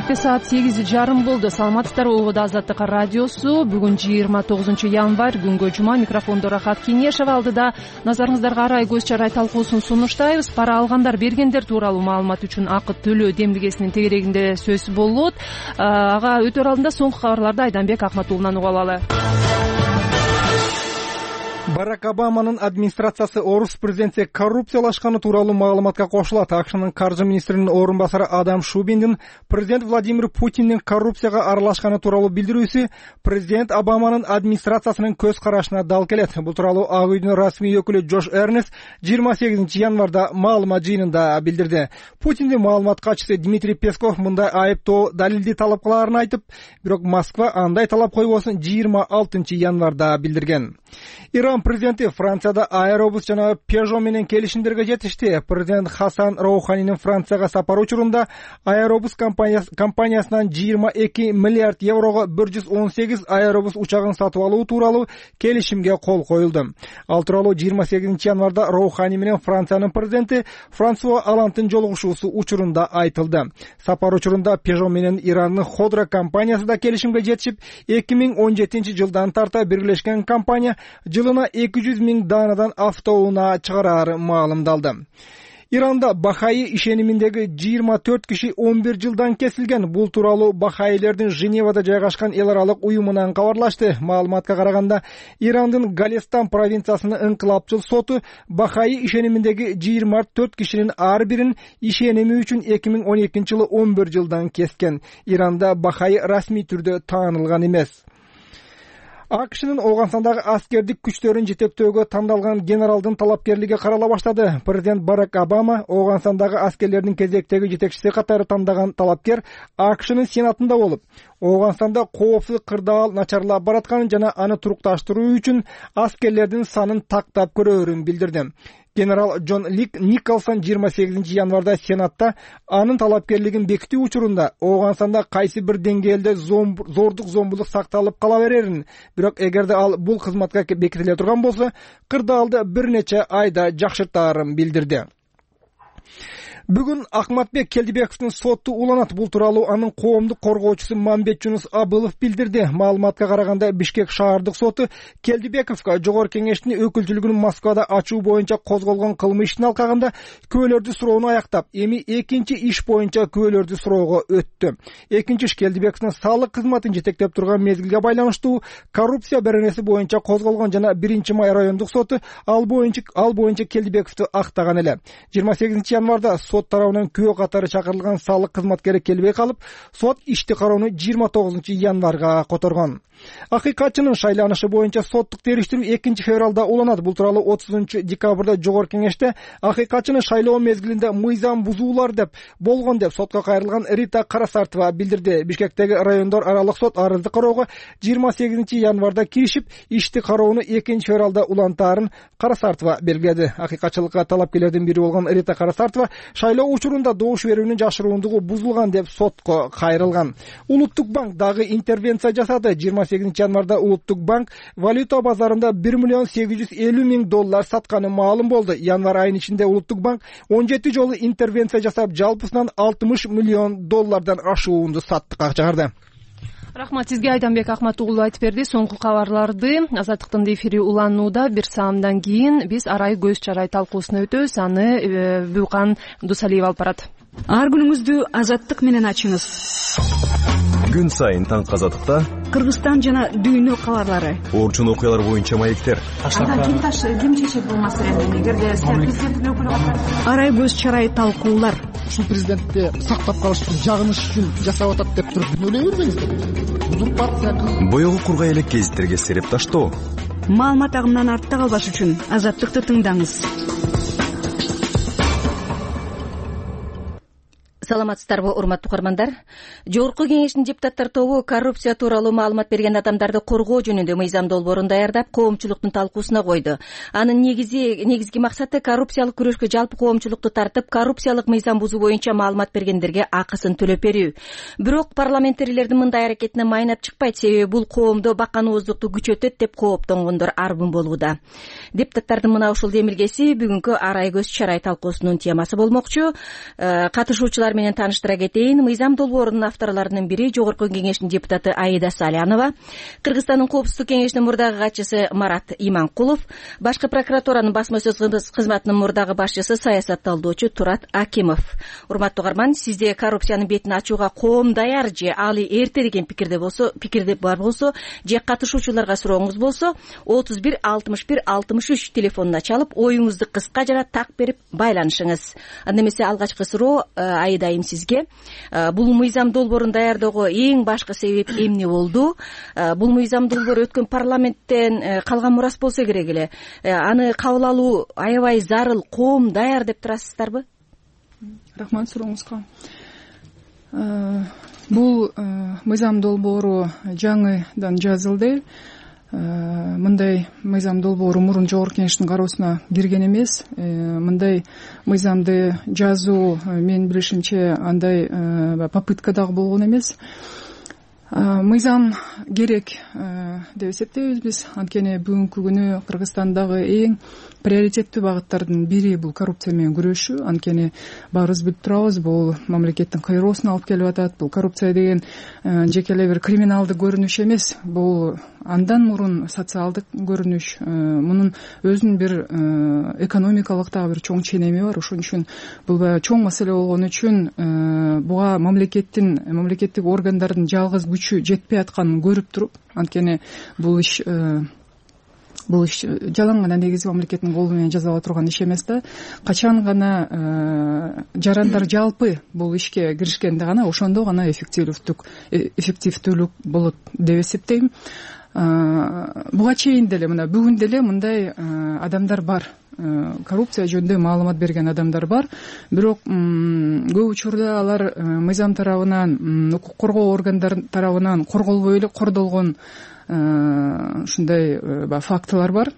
Кенжебекте саат 8:30 болду. Саламатсыздарбы? Убада Азаттык радиосу. Бүгүн 29 январь, күнгө жума. Микрофондо Рахат Кеңешева, алдыда назарыңыздарга арай көз чарай талкуусун сунуштайбыз. Пара алгандар, бергендер тууралуу маалымат үчүн акы төлөө демилгесинин тегерегинде сөз болот. Ага өтөр алдында соңку кабарларды Айданбек Акматуулунан угуп алалы. Барак Обаманын администрациясы орус президенти коррупциялашканы тууралуу маалыматка кошулат. АКШнын каржы министринин орун басары Адам Шубиндин президент Владимир Путиндин коррупцияга аралашканы тууралуу билдирүүсү президент Обаманын администрациясынын көз карашына дал келет. Бул тууралуу Ак үйдүн расмий өкүлү Джош Эрнест 28 январда маалымат жыйынында билдирди. Путиндин маалымат катчысы Дмитрий Песков мындай айыптоо далилди талап кылаарын айтып, бирок Москва андай талап койбосун 26 январда билдирген. Иран президенти Францияда Аэробус жана Peugeot менен келишимдерге жетишти. Президент Хасан Роуханинин Францияга сапары учурунда Аэробус компаниясынан 22 миллиард еврого 118 Аэробус учагын сатып алуу тууралуу келишимге кол коюлду. Ал тууралуу 28 январда Роухани менен Франциянын президенти Франсуа Олландтын жолугушуусу учурунда айтылды. Сапар учурунда Peugeot менен Ирандын Ходра компаниясы да келишимге жетишип, 2017 жылдан тарта бирлешкен компания жылына 200 000 даанадан автоунаа чыгарары маалымдалды. Иранда Бахаи ишениминдеги 24 киши 11 жылдан кесилген. Бул тууралуу Бахаилердин Женевада жайгашкан эл аралык уюмунан кабарлашты. Маалыматка караганда, Ирандын Галестан провинциясынын ыңкылапчыл соту Бахаи ишениминдеги 24 кишинин ар бирин ишеними үчүн 2012 жылы 11 жылдан кескен. Иранда Бахаи расмий түрдө таанылган эмес. АКШнын Ооганстандагы аскердик күчтөрүн жетектөөгө тандалган генералдын талапкерлиги карала баштады. Президент Барак Обама Ооганстандагы аскерлердин кезектеги жетекчиси катары тандаган талапкер АКШнын сенатында болуп, Ооганстанда коопсуздук кырдаал начарлап баратканын жана аны турукташтыруу үчүн аскерлердин санын тактап көрөөрүн билдирди. Генерал Джон Николсон 28 январда Сенатта анын талапкерлигин бекитүү учурунда Ооганстанда кайсы бир деңгээлде зордук зомбулук сакталып кала берерин, бирок эгерде ал бул кызматка бекитиле турган болсо, кырдаалды бир нече айда жакшыртаарын билдирди. Бүгүн Акматбек Келдибековдун соту уланат. Бул тууралуу анын коомдук коргоочусу Мамбет Жунус Абылов билдирди. Маалыматка караганда, Бишкек шаардык соту Келдибековго Жогорку Кеңештин өкүлчүлүгүнүн Москвада ачуу боюнча козголгон кылмыш ишин алкагында күбөлөрдү суроону аяктап, эми экинчи иш боюнча күбөлөрдү суроого өттү. Экинчи иш Келдибековдун салык кызматын жетектеп турган мезгилге байланыштуу коррупция беренеси боюнча козголгон жана 1-май райондук соту ал боюнча Келдибековду актаган эле. 28 январда сот тарабынан күбө катары чакырылган салык кызматкери келбей калып, сот ишти кароону 29 январга которгон. Акыйкатчынын шайланышы боюнча соттук териштирүү 2-февралда уланат. Бул тууралуу 30 декабрда Жогорку Кеңеште акыйкатчыны шайлоо мезгилинде мыйзам бузуулар болгон деп сотко кайрылган Рита Карасартова билдирди. Бишкектеги райондор аралык сот арызды кароого 28 январда киришип, ишти кароону 2-февралда улантаарын Карасартова белгиледи. Акыйкатчылыкка талапкерлердин бири болгон Рита Карасартова шайлоо учурунда добуш берүүнүн жашыруундугу бузулган деп сотко кайрылган. Улуттук банк дагы интервенция жасады. 28 январда Улуттук банк валюта базарында $1,850,000 сатканы маалым болду. Январь айынын ичинде Улуттук банк 17 жолу интервенция жасап, жалпысынан $60 миллион ашуунду саттыкка чыгарды. Рахмат сизге, Айданбек Акматуулу айтып берди. Соңку кабарларды Азаттыктын эфири уланууда. Бир саамдан кийин биз арай көз чарай талкуусуна өтөбүз. Аны Бюкан Дусалиев алып барат. Ар күнүңүздү Азаттык менен ачыңыз. Күн сайын таңкы Азаттыкта Кыргызстан жана дүйнө кабарлары, орчун окуялар боюнча маектер. Ким чечет бул маселени? Эгерде президенттин өкүлү арай көз чарай талкуулар. Ушул президентти сактап калыш үчүн, жагыныш үчүн жасап атат деп туруп ойлой бербеңиздер. Бул партия боёгу кургай элек гезиттерге сереп таштоо. Маалымат агымынан артта калбаш үчүн Азаттыкты тыңдаңыз. Саламатсыздарбы, урматтуу угармандар? Жогорку Кеңештин депутаттар тобу коррупция тууралуу маалымат берген адамдарды коргоо жөнүндө мыйзам долбоорун даярдап, коомчулуктун талкуусуна койду. Анын негизги максаты коррупциялык күрөшкө жалпы коомчулукту тартып, коррупциялык мыйзам бузуу боюнча маалымат бергендерге акысын төлөп берүү. Бирок парламенттегилердин мындай аракетине майнап чыкпайт, себеби бул коомдо баканооздукту күчөтөт деп кооптонгондор арбын болууда. Депутаттардын мына ушул демилгеси бүгүнкү арай көз чарай талкуусунун темасы болмокчу. Катышуучулар жаңылыктар менен тааныштыра кетейин. Мыйзам долбоорунун авторлорунун бири Жогорку Кеңештин депутаты Аида Салянова, Кыргызстандын Коопсуздук кеңешинин мурдагы катчысы Марат Иманкулов, Башкы прокуратуранын басма сөз кызматынын мурдагы башчысы саясатталдоочу Турат Акимов. Урматтуу угарман, сизде коррупциянын бетин ачууга коом даяр же али эрте деген пикирде бар болсо же катышуучуларга сурооңуз болсо 31 61 63 телефонуна чалып оюңузду кыска жана так берип байланышыңыз. Анда эмесе алгачкы суроо Аида айым сизге. Бул мыйзам долбоорун даярдоого эң башкы себеп эмне болду? Бул мыйзам долбоору өткөн парламенттен калган мурас болсо керек эле. Аны кабыл алуу аябай зарыл, коом даяр деп турасыздарбы? Рахмат сурооңузга. Бул мыйзам долбоору жаңыдан жазылды. Мындай мыйзам долбоору мурун Жогорку Кеңештин кароосуна кирген эмес. Мындай мыйзамды жазуу менин билишимче андай попытка дагы болгон эмес. Мыйзам керек деп эсептейбиз биз. Анткени бүгүнкү күнү Кыргызстандагы эң приоритеттүү багыттардын бири бул коррупция менен күрөшүү. Анткени баарыбыз билип турабыз, бул мамлекеттин кыйроосуна алып келип атат. Бул коррупция деген жеке эле бир криминалдык көрүнүш эмес. Бул андан мурун социалдык көрүнүш. Мунун өзүнүн бир экономикалык дагы бир чоң ченеми бар. Ошон үчүн бул чоң маселе болгон үчүн буга мамлекеттик органдардын жалгыз күчү жетпей атканын көрүп туруп, анткени бул иш жалаң гана негизи мамлекеттин колу менен жасала турган иш эмес да. Качан гана жарандар жалпы бул ишке киришкенде гана ошондо гана эффективдүүлүк болот деп эсептейм. Буга чейин деле мына бүгүн деле мындай адамдар бар. Коррупция жөнүндө маалымат берген адамдар бар. Бирок көп учурда алар мыйзам тарабынан, укук коргоо органдары тарабынан корголбой эле кордолгон ушундай фактылар бар.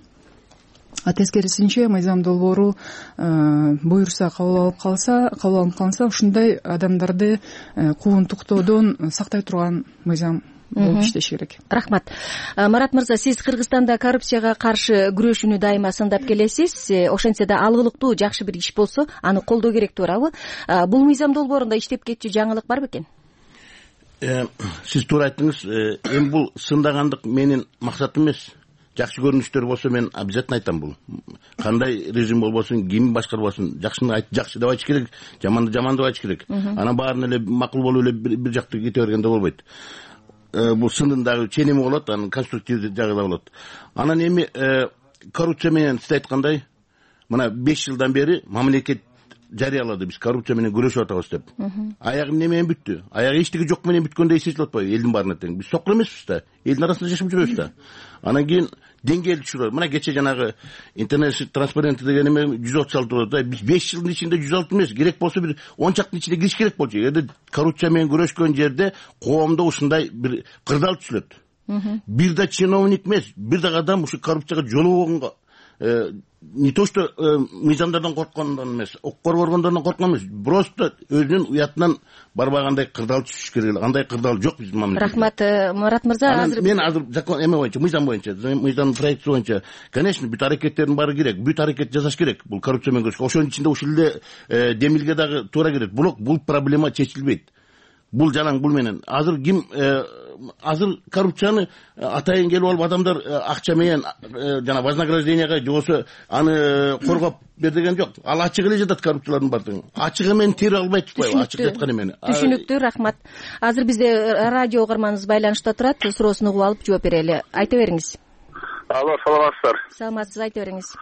Тескерисинче мыйзам долбоору буюрса кабыл алып калса ушундай адамдарды куугунтуктоодон сактай турган мыйзам болуп иштеш керек. Рахмат. Марат мырза, сиз Кыргызстанда коррупцияга каршы күрөшүүнү дайыма сындап келесиз. Ошентсе да алгылыктуу жакшы бир иш болсо, аны колдоо керек, туурабы? Бул мыйзам долбоорунда иштеп кетчү жаңылык бар бекен? Сиз туура айттыңыз. Эми бул сындагандык менин максатым эмес. Жакшы көрүнүштөр болсо мен обязательно айтам бул. Кандай режим болбосун, ким башкарбасын, жакшыны жакшы деп айтыш керек, жаманды жаман деп айтыш керек. Анан баарын эле макул болуп эле бир жакты кете бергенде болбойт. Бул сындын дагы ченеми болот, анын конструктивдүү жагы да болот. Анан эми коррупция менен сиз айткандай, мына 5 жылдан бери мамлекет жарыялады биз коррупция менен күрөшүп атабыз деп. Аягы эмне менен бүттү? Аягы эчтеги жок менен бүткөндөй эсертип атпайбы элдин баарына тең? Биз сокур эмеспиз да. Элдин арасында жашап жүрөбүз да. Анан кийин деңгээлди түшүрөбүз. Мына кече жанагы интернет транспаренти деген эме 136 болот да. Биз 5 жылдын ичинде 106 эмес, керек болсо бир 10 чактын ичине кириш керек болчу. Эгерде коррупция менен күрөшкөн жерде коомдо ушундай бир кырдаал түшүлөт. Бир да чиновник эмес, бир да адам ушу коррупцияга жолугонго не то что мыйзамдардан корккондон эмес, укук органдарынан корккон эмес, просто өзүнүн уятынан барбагандай кырдаал түшүш керек. Андай кырдаал жок биздин мамлекетте. Рахмат, Марат мырза. Мен азыр закон эме боюнча, мыйзам проекти боюнча, конечно, бүт аракеттердин баары керек, бүт аракет жасаш керек бул коррупция менен күрөшкө. Ошонун ичинде ушул эле демилге дагы туура керек. Бирок бул проблема чечилбейт. Бул жалаң бул менен азыр ким азыр коррупцияны атайын келип алып адамдар акча менен жана вознагражденияга же болбосо аны коргоп бер деген жок. Ал ачык эле жатат коррупциялардын баардыгы. Ачык эмени терип албайт турбайбы? Ачык жаткан эмени. Түшүнүктүү, рахмат. Азыр бизде радио угарманыбыз байланышта турат. Суроосуну угуп алып жооп берели. Айта бериңиз. Алло, саламатсыздар. Саламатсыз, айта бериңиз.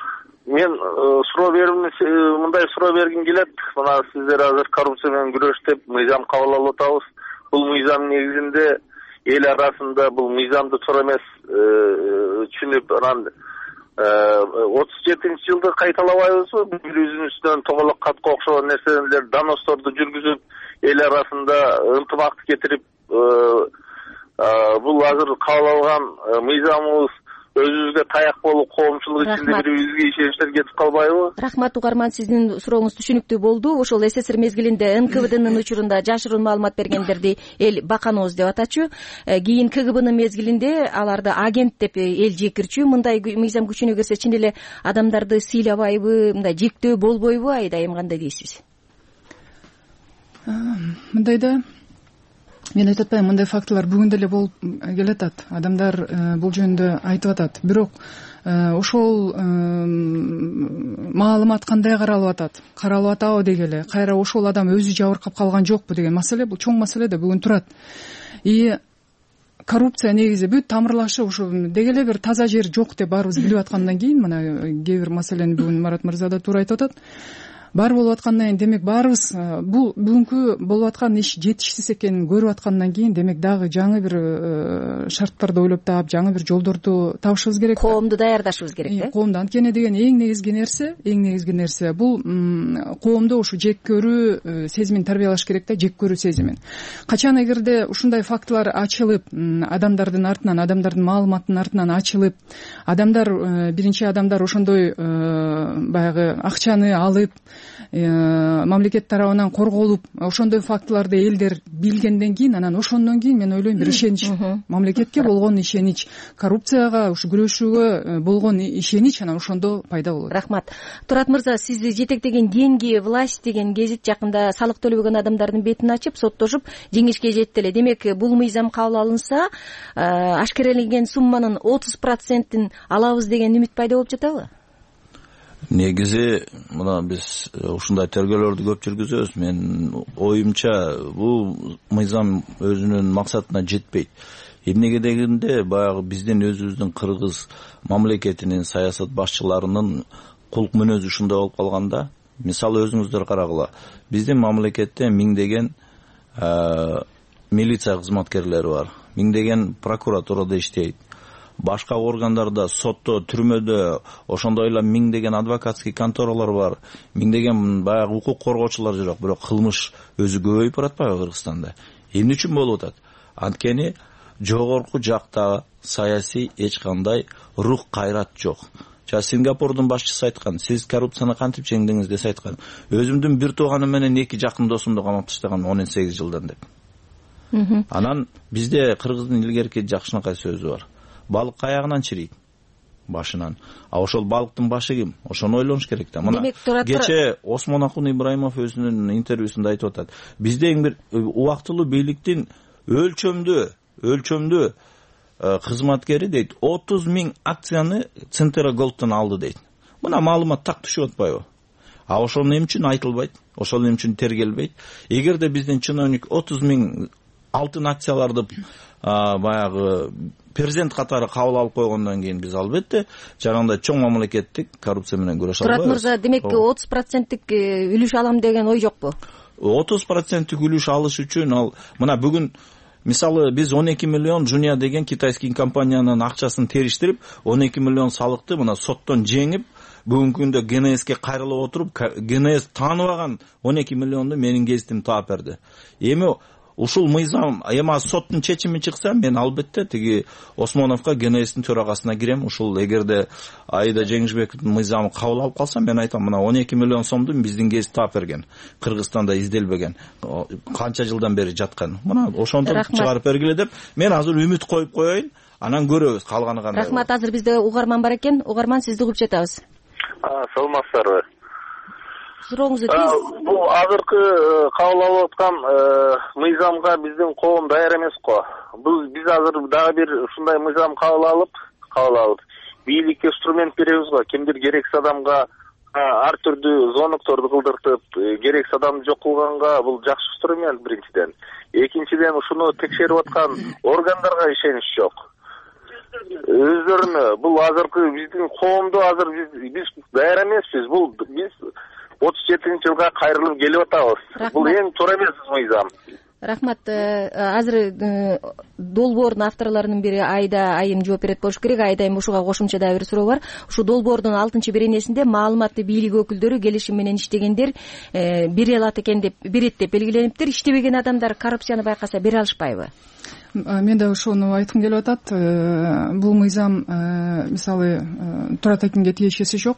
Мен мындай суроо бергим келет. Мына сиздер азыр коррупция менен күрөш деп мыйзам кабыл алып атабыз. Бул мыйзам негизинде эл арасында бул мыйзамды туура эмес түшүнүп, анан 37-жылды кайталабайбызбы? Бири-бирибиздин үстүнөн тоголок катка окшогон нерселер, доносторду жүргүзүп, эл арасында ынтымакты кетирип, бул азыр кабыл алган мыйзамыбыз өзүбүзгө таяк болуп, коомчулук ичинде бири-бирибизге ишеничтер кетип калбайбы? Рахмат, угарман, сиздин сурооңуз түшүнүктүү болду. Ошол СССР мезгилинде НКВДнын учурунда жашыруун маалымат бергендерди эл баканооз деп атачу. Кийин КГБнын мезгилинде аларды агент деп эл жекирчү. Мындай мыйзам күчүнө кирсе чын эле адамдарды сыйлабайбы, мындай жектөө болбойбу? Айдайым, кандай дейсиз? мындай да мен айтып атпаймынбы, мындай фактылар бүгүн деле болуп келатат, адамдар бул жөнүндө айтып атат. Бирок ошол маалымат кандай каралып атабы дегеле, кайра ошол адам өзү жабыркап калган жокпу деген маселе, бул чоң маселе да бүгүн турат. И коррупция негизи бүт тамырлашы ушу дегеле бир таза жер жок деп баарыбыз билип аткандан кийин, мына кээ бир маселени бүгүн Марат мырза да туура айтып атат. Бар болуп аткандан кийин, демек баарыбыз бул бүгүнкү болуп аткан иш жетишсиз экенин көрүп аткандан кийин, демек дагы жаңы бир шарттарды ойлоп таап, жаңы бир жолдорду табышыбыз керек. Коомду даярдашыбыз керек да. Коомду, анткени деген эң негизги нерсе бул коомдо ушу жек көрүү сезимин тарбиялаш керек да, жек көрүү сезимин. Качан эгерде ушундай фактылар ачылып, адамдардын артынан, адамдардын маалыматынын артынан ачылып, биринчи адамдар ошондой баягы акчаны алып, мамлекет тарабынан корголуп, ошондой фактыларды элдер билгенден кийин, анан ошондон кийин мен ойлойм бир ишенич, мамлекетке болгон ишенич, коррупцияга ушу күрөшүүгө болгон ишенич анан ошондо пайда болот. Рахмат. Турат мырза, сизди жетектеген Деньги власть деген гезит жакында салык төлөбөгөн адамдардын бетин ачып, соттошуп, жеңишке жетти эле. Демек, бул мыйзам кабыл алынса, ашкереленген сумманын 30%-ин алабыз деген үмүт пайда болуп жатабы? Негизи мына биз ушундай тергөөлөрдү көп жүргүзөбүз. Мен оюмча бул мыйзам өзүнүн максатына жетпейт. Эмнеге дегенде, баягы биздин өзүбүздүн кыргыз мамлекетинин саясат башчыларынын кулк мүнөзү ушундай болуп калганда, мисалы өзүңүздөр карагыла, биздин мамлекетте миңдеген милиция кызматкерлери бар, миңдеген прокуратурада иштейт, башка органдарда, сотто, түрмөдө, ошондой эле миңдеген адвокатский конторалар бар, миңдеген баягы укук коргоочулар жүрөт, бирок кылмыш өзү көбөйүп баратпайбы Кыргызстанда? Эмне үчүн болуп атат? Анткени жогорку жакта саясий эч кандай рух кайрат жок. Сингапурдун башчысы айткан, сиз коррупцияны кантип жеңдиңиз десе айткан, өзүмдүн бир тууганым менен 2 жакын досумду камап таштаган 18 жылдан деп. Анан бизде Кыргыздын илгерки жакшынакай сөзү бар. Балык каягынан чирийт, башынан. А ошол балыктын башы ким? Ошону ойлонуш керек да. Мына кече Осмонакун Ибраимов өзүнүн интервьюсунда айтып атат. Бизде эң бир убактылуу бийликтин өлчөмдүү кызматкери дейт, 30,000 акцияны Центра Голдтон алды дейт. Мына маалымат так түшүп атпайбы? А ошол эмне үчүн айтылбайт? Ошол эмне үчүн тергелбейт? Эгерде биздин чиновник 30,000 алтын акцияларды баягы перзент катары кабыл алып койгондон кийин, биз албетте жанагындай чоң мамлекеттик коррупция менен күрөшө албайбыз. Турат мырза, демек 30% үлүш алам деген ой жокпу? 30% үлүш алыш үчүн ал мына бүгүн мисалы биз 12 миллион жуния деген китайский компаниянын акчасын териштирип, 12 миллион салыкты мына соттон жеңип, бүгүнкү күндө ГНСке кайрылып отуруп, ГНС тааныбаган 12 миллионду менин гезитим таап берди. Эми ушул мыйзам эми соттун чечими чыкса, мен албетте тиги Осмоновго ГНСтин төрагасына кирем. Ушул эгерде Аида Жеңишбековдун мыйзамы кабыл алып калса, мен айтам, мына 12 миллион сомду биздин гезит таап берген, Кыргызстанда изделбеген, канча жылдан бери жаткан. Мына ошондо чыгарып бергиле деп, мен азыр үмүт коюп коеюн, анан көрөбүз калганы кандай. Рахмат. Азыр бизде угарман бар экен. Угарман, сизди угуп жатабыз. Саламатсыздарбы? Сурооңузду бул азыркы кабыл алып аткан мыйзамга биздин коом даяр эмес го. Биз азыр дагы бир ушундай мыйзам кабыл алып бийликке инструмент беребиз го. Кимдир керексиз адамга ар түрдүү звонокторду кылдыртып, керексиз адамды жок кылганга бул жакшы инструмент биринчиден. Экинчиден, ушуну текшерип аткан органдарга ишенич жок. Өздөрүнө бул азыркы биздин коомдо азыр биз даяр эмеспиз. Бул биз 37-жылга кайрылып келип атабыз. Бул эң туура эмес мыйзам. Рахмат. Азыр долбоордун авторлорунун бири Айда айым жооп берет болуш керек. Айда айым, ушуга кошумча дагы бир суроо бар. Ушу долбоордун 6-беренесинде маалыматты бийлик өкүлдөрү келишим менен иштегендер бере алат экен деп, берет деп белгилениптир. Иштебеген адамдар коррупцияны байкаса бере алышпайбы? Мен да ошону айткым келип атат. Бул мыйзам мисалы Турат акимге тиешеси жок.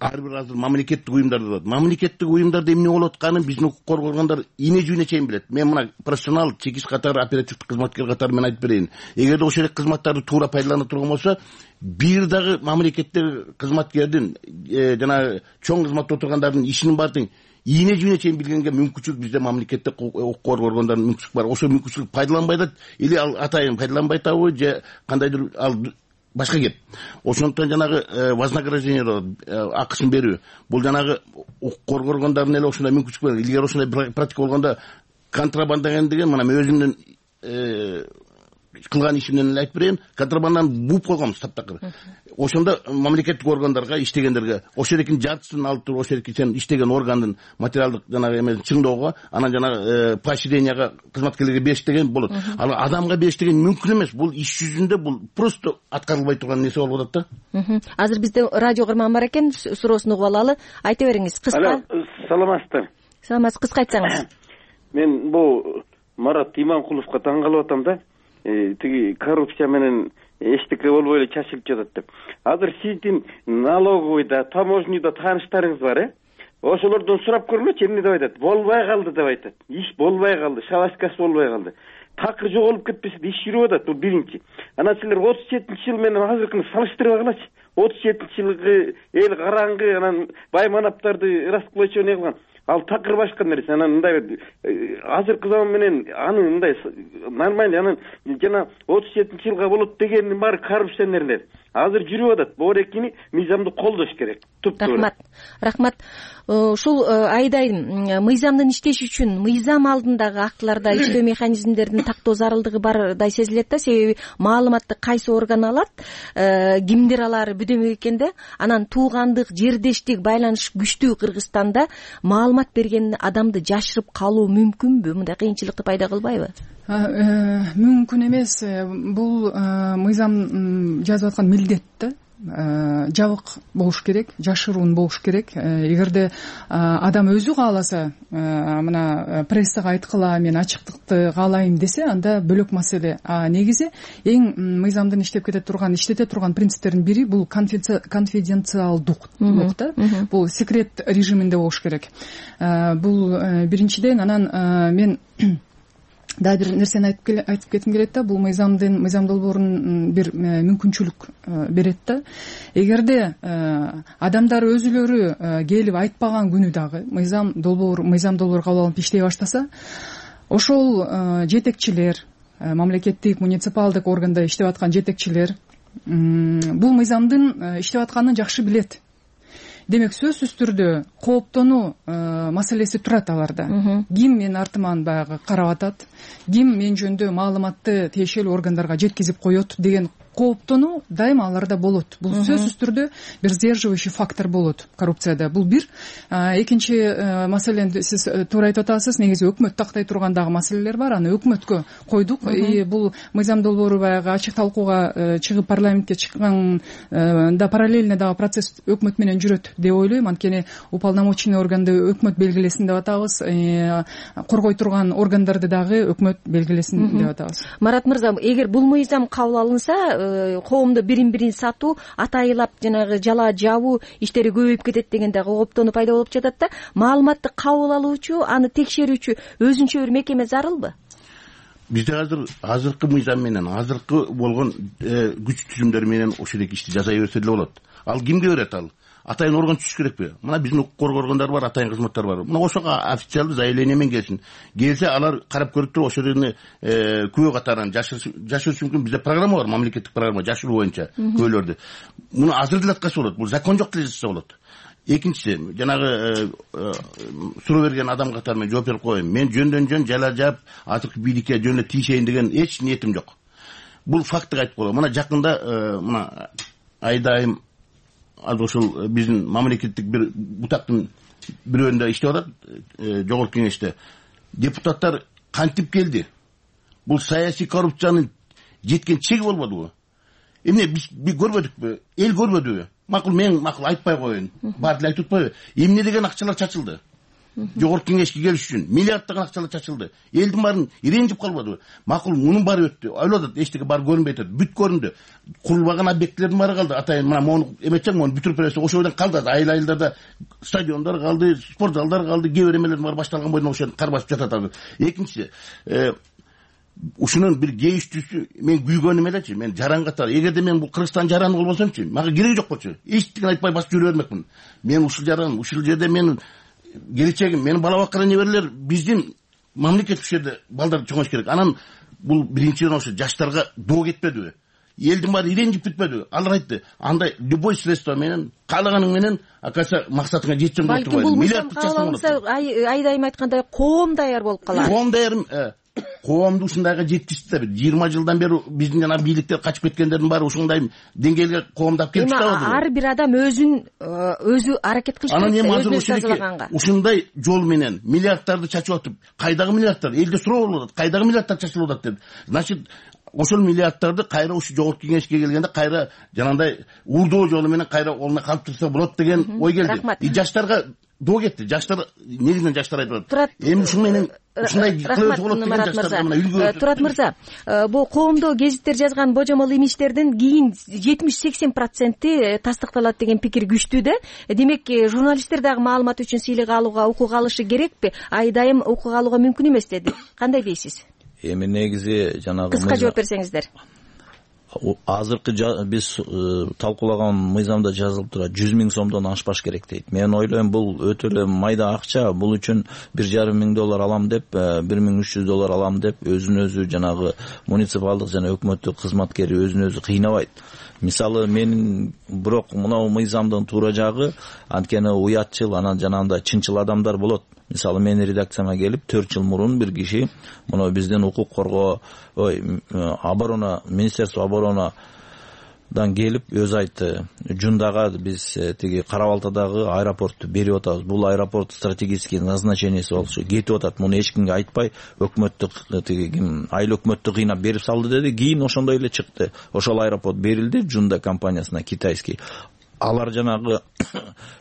ар бир азыр мамлекеттик уюмдар болот. Мамлекеттик уюмдарда эмне болуп атканын биздин укук коргоогондар ийне жүйүнө чейин билет. Мен мына профессионал чекиш катары оперативдик кызматкер катары мен айтып берейин. Эгерде ошол эле кызматтарды туура пайдалана турган болсо, бир дагы мамлекеттик кызматкердин жана чоң кызматта отургандардын ишинин баардыгын ийне жүйүнө чейин билгенге мүмкүнчүлүк бизде мамлекеттик укук коргоо органдарынын мүмкүнчүлүк бар. Ошол мүмкүнчүлүк пайдаланбай атат или ал атайын пайдаланбай атабы же кандайдыр ал башка кеп. Ошондуктан жанагы вознаграждение акысын берүү бул жанагы укук коргоо органдарынын эле ошондой мүмкүнчүлүк бар. Илгери ошондой практика болгондо контрабанда деген мына мен өзүмдүн кылган ишимден эле айтып берейин, контрабанданы бууп койгонбуз таптакыр. Ошондо мамлекеттик органдарга иштегендерге ошол экинин жартысын алып туруп, ошол эки сен иштеген органдын материалдык жанагы эмесин чыңдоого, анан жанагы поощренияга кызматкерлерге бериш деген болот. Ал адамга бериш деген мүмкүн эмес. Бул иш жүзүндө бул просто аткарылбай турган нерсе болуп атат да. Азыр бизде радио кырман бар экен, суроосун угуп алалы. Айта бериңиз, кыска. Саламатсыздар. Саламатсыз, кыска айтсаңыз. Мен бул Марат Иманкуловго таң калып атам да. Тиги коррупция менен эчтеке болбой эле чачылып жатат деп. Азыр сиздин налоговыйда, таможнийда тааныштарыңыз бар, ошолордон сурап көргүлөчү, эмне деп айтат? Болбой калды деп айтат. Иш болбой калды, шабашкасы болбой калды. Такыр жоголуп кетпесе иш жүрүп атат, бул биринчи. Анан силер 37-жыл менен азыркыны салыштырбагылачы. 37-жылгы эл караңгы, анан бай манаптарды раскулачивание кылган. Ал такыр башка нерсе. Анан мындай азыркы заман менен аны мындай нормально, анан жана 37-жылга болот дегендин баары коррупционерлер. Азыр жүрүп атат. Боорекини мыйзамды колдош керек. Рахмат. Ушул айдай мыйзамдын иштеши үчүн мыйзам алдындагы актыларда иштөө механизмдеринин тактоо зарылдыгы бардай сезилет да, себеби маалыматты кайсы орган алат, кимдер алары бүдөмөк экен да. Анан туугандык, жердештик байланыш күчтүү Кыргызстанда маалымат берген адамды жашырып калуу мүмкүнбү? Мындай кыйынчылыкты пайда кылбайбы? Мүмкүн эмес. Бул мыйзам жазып аткан милдет да. Жабык болуш керек, жашыруун болуш керек. Эгерде адам өзү кааласа, мына прессага айткыла, мен ачыктыкты каалайм десе, анда бөлөк маселе. Негизи эң мыйзамдын иштете турган принциптердин бири бул конфиденциалдук да. Бул секрет режиминде болуш керек. Бул биринчиден. Анан мен да бир нерсени айтып кетким келет да. Бул мыйзам долбоорун бир мүмкүнчүлүк берет да. Эгерде адамдар өзүлөрү келип айтпаган күнү дагы мыйзам долбоор кабыл алынып иштей баштаса, ошол жетекчилер, мамлекеттик муниципалдык органда иштеп аткан жетекчилер бул мыйзамдын иштеп атканын жакшы билет. Демек сөзсүз түрдө кооптонуу маселеси турат аларда. Ким мен артыман баягы карап атат, ким мен жөнүндө маалыматты тиешелүү органдарга жеткизип коет деген кооптонуу дайыма аларда болот. Бул сөзсүз түрдө бир сдерживающий фактор болот коррупцияда. Бул бир. Экинчи маселени сиз туура айтып атасыз. Негизи өкмөт тактай турган дагы маселелер бар. Аны өкмөткө койдук. Бул мыйзам долбоору баягы ачык талкууга чыгып парламентке чыкканда параллельно дагы процесс өкмөт менен жүрөт деп ойлойм. Анткени уполномоченный органды өкмөт белгилесин деп атабыз. Коргой турган органдарды дагы өкмөт белгилесин деп атабыз. Марат мырза, эгер бул мыйзам кабыл алынса, коомдо бирин-бирин сатуу, атайылап жанагы жала жабуу иштери көбөйүп кетет деген дагы кооптонуу пайда болуп жатат да. Маалыматты кабыл алуучу, аны текшерүүчү өзүнчө бир мекеме зарылбы? Бизде азыркы мыйзам менен, азыркы болгон күч түзүмдөр менен ошол эки ишти жасай берсе эле болот. Ал кимге берет ал? Атайын орган түшүш керекпи? Мына биздин укук коргоо органдары бар, атайын кызматтар бар. Мына ошого официалдуу заявление менен келсин. Келсе алар карап көрүп туруп ошол жерде күбө катарын жашырыш мүмкүн. Бизде программа бар, мамлекеттик программа жашыруу боюнча күбөлөрдү. Муну азыр деле аткарса болот. Бул закон жок деле жазса болот. Экинчиси, жанагы суроо берген адам катары мен жооп берип коеюн. Мен жөндөн жөн жала жаап, азыркы бийликке жөн эле тийишейин деген эч ниетим жок. Бул факты айтып коелу. Мына жакында мына айдайым ошол биздин мамлекеттик бир бутактын бирөөндө иштеп атат, жогорку кеңеште. Депутаттар кантип келди? Бул саясий коррупциянын жеткен чеги болбодубу? Эмне биз көрбөдүкпү? Эл көрбөдүбү? Макул, мен айтпай коеюн. Баары деле айтып атпайбы? Эмне деген акчалар чачылды? жогорку кеңешке келиш үчүн миллиарддаган акчалар чачылды. Элдин баарын иренжип калбадыбы? Макул, мунун баары өттү. Ойлоп атат, эчтеке бар көрүнбөй атат. Бүт көрүндү. Курулбаган объектлердин баары калды. Атайын мына мону эметсең, мону бүтүрүп берсе, ошо бойдон калды. Айыл-айылдарда стадиондор калды, спорт залдар калды, кээ бир эмелердин баары башталган бойдон ошо кар басып жатат. Экинчиси, ушунун бир кеиштүүсү, мен күйгөнүм элечи, мен жаран катары. Эгерде мен бул Кыргызстан жараны болбосомчу, мага кереги жок болчу. Эчтеке айтпай басып жүрө бермекмин. Мен ушул жаран, ушул жерде менин келечегим, менин бала баккан неберелер биздин мамлекет ушул жерде балдар чоңош керек. Анан бул биринчиден ошо жаштарга доо кетпедиби? Элдин баары иренжип бүтпөдүбү? Алар айтты, андай любой средство менен, каалаганың менен, акаса максатыңа жетсең болот деп. Балким бул мыйзам кабыл алынса, айдайым айткандай коом даяр болуп калат. Коом даяр, коомду ушундайга жеткизди да. 20 жылдан бери биздин жана бийликтер качып кеткендердин баары ушундай деңгээлге коомдап келип чыгабы? Ар бир адам өзү аракет кылыш керек. Анан эми азыр ушундай жол менен миллиарддарды чачып атып, кайдагы миллиарддар? Элде суроо болуп атат. Кайдагы миллиарддар чачылып атат деп. Значит, ошол миллиарддарды кайра ушу жогорку кеңешке келгенде кайра жанагындай урдоо жолу менен кайра ордуна калыптырса болот деген ой келди. Жаштарга доо кетти. Жаштар негизинен жаштар айтып атат. Эми ушун менен ушундай кылып болот деген жаштарга мына үлгү. Турат мырза, бул коомдо гезиттер жазган божомол имичтердин кийин 70-80% тастыкталат деген пикир күчтүү да. Демек, журналисттер дагы маалымат үчүн сыйлык алууга укук алышы керекпи? Айдайым укук алууга мүмкүн эмес деди. Кандай дейсиз? Эми негизи жанагы кыска жооп берсеңиздер. Азыркы биз талкуулаган мыйзамда жазылып турат 100 000 сомдон ашпаш керек дейт. Мен ойлойм, бул өтө эле майда акча. Бул үчүн $1,500 алам деп, $1,300 алам деп өзүн өзү жанагы муниципалдык жана өкмөттүк кызматкери өзүн өзү кыйнабайт. Мисалы, менин бирок мынау мыйзамдын туура жагы, анткени уятчыл, анан жанагындай чынчыл адамдар болот. Мисалы, менин редакцияма келип 4 жыл мурун бир киши мына биздин укук коргоо оборона, Министерство оборонадан келип өзү айтты, Жундага биз тиги Кара-Балтадагы аэропортту берип атабыз. Бул аэропорт стратегический назначенияси болчу, кетип атат. Муну эч кимге айтпай, өкмөттүк тиги айыл өкмөттү кыйнап берип салды деди. Кийин ошондой эле чыкты. Ошол аэропорт берилди Жунда компаниясына, китайский. Алар жанагы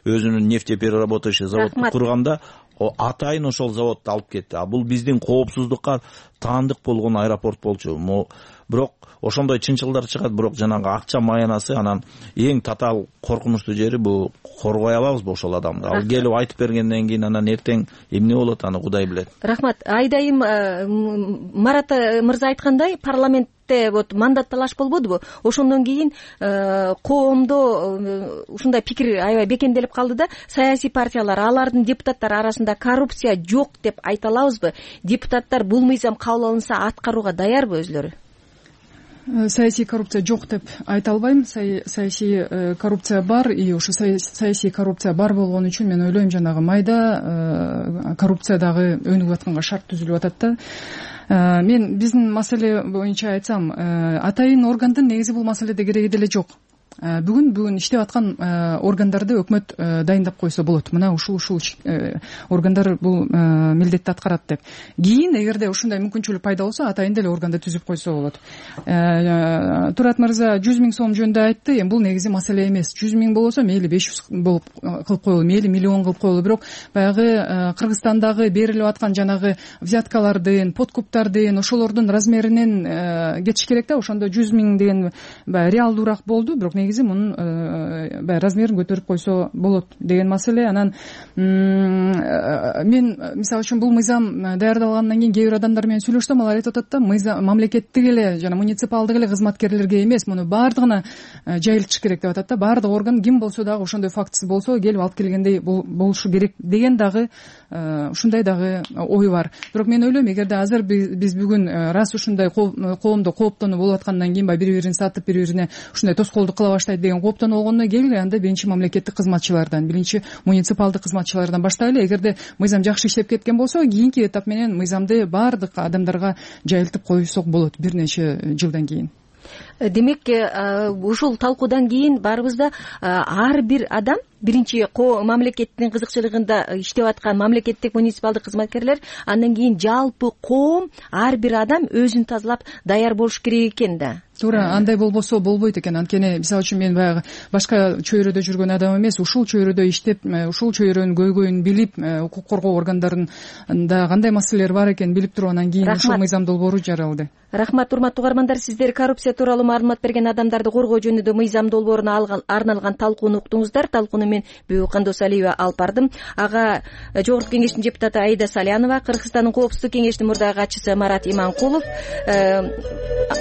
өзүнүн нефтепереработающий заводду курганда атайын ошол заводду алып кетти. А бул биздин коопсуздукка таандык болгон аэропорт болчу. Бирок ошондой чынчылдар чыгат, бирок жанагы акча маянасы, анан эң татаал коркунучтуу жери бул коргой алабызбы ошол адамды? Ал келип айтып бергенден кийин анан эртең эмне болот, аны Кудай билет. Рахмат. Айдайым Марат мырза айткандай, парламентте вот мандат талаш болбодубу? Ошондон кийин коомдо ушундай пикир аябай бекемделип калды да, саясий партиялар, алардын депутаттары арасында коррупция жок деп айта алабызбы? Депутаттар бул мыйзам кабыл алынса аткарууга даярбы өзлөрү? Саясий коррупция жок деп айта албайм. Саясий коррупция бар, и ошо саясий коррупция бар болгон үчүн мен ойлойм, жанагы майда коррупция дагы өнүгүп атканга шарт түзүлүп атат да. Мен биздин маселе боюнча айтсам, атайын органдын негизи бул маселеде кереги деле жок. Бүгүн иштеп аткан органдарды өкмөт дайындап койсо болот. Мына ушул органдар бул милдетти аткарат деп. Кийин эгерде ушундай мүмкүнчүлүк пайда болсо, атайын деле органды түзүп койсо болот. Турат мырза 100 000 сом жөнүндө айтты. Эми бул негизи маселе эмес. 100 000 болсо мейли 500 болуп кылып коелу, мейли миллион кылып коелу. Бирок баягы Кыргызстандагы берилип аткан жанагы взяткалардын, подкуптардын, ошолордун размеринен кетиш керек да. Ошондо 100 000 деген реалдуураак болду. Бирок негизи мунун размерин көтөрүп койсо болот деген маселе. Анан мен мисалы үчүн бул мыйзам даярдалгандан кийин кээ бир адамдар менен сүйлөшсөм, алар айтып атат да, мыйзам мамлекеттик эле жана муниципалдык эле кызматкерлерге эмес, муну баардыгына жайылтыш керек деп атат да. Баардык орган ким болсо дагы ошондой фактысы болсо келип алып келгендей болушу керек деген дагы ушундай дагы ой бар. Бирок мен ойлойм, эгерде азыр биз бүгүн раз ушундай коомдо кооптонуу болуп аткандан кийин бири бирин сатып, бири бирине ушундай тоскоолдук кыла баштайт деген кооптонуу болгондон кийин анда биринчи мамлекеттик кызматчылардан, биринчи муниципалдык кызматчылардан баштайлы. Эгерде мыйзам жакшы иштеп кеткен болсо, кийинки этап менен мыйзамды баардык адамдарга жайылтып койсок болот бир нече жылдан кийин. Демек, ушул талкуудан кийин баарыбызда ар бир адам, биринчи мамлекеттин кызыкчылыгында иштеп аткан мамлекеттик муниципалдык кызматкерлер, андан кийин жалпы коом, ар бир адам өзүн тазалап даяр болуш керек экен да. туура андай болбосо болбойт экен. Анткени мисалы үчүн мен баягы башка чөйрөдө жүргөн адам эмес, ушул чөйрөдө иштеп, ушул чөйрөнүн көйгөйүн билип, укук коргоо органдарында кандай маселелер бар экенин билип туруп анан кийин ушул мыйзам долбоору жаралды. Рахмат, урматтуу угармандар, сиздер коррупция тууралуу маалымат берген адамдарды коргоо жөнүндө мыйзам долбооруна арналган талкууну уктуңуздар. Талкууну мен Бүбү Кандосалиева алып бардым. Ага Жогорку кеңештин депутаты Аида Салянова, Кыргызстандын Коопсуздук кеңешинин мурдагы катчысы Марат Иманкулов,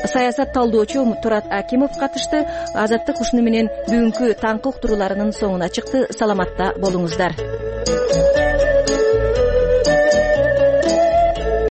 саясат талдоочу Турат Акимов катышты. Азаттык ушуну менен бүгүнкү таңкы уктурууларынын соңуна чыкты. Саламатта болуңуздар.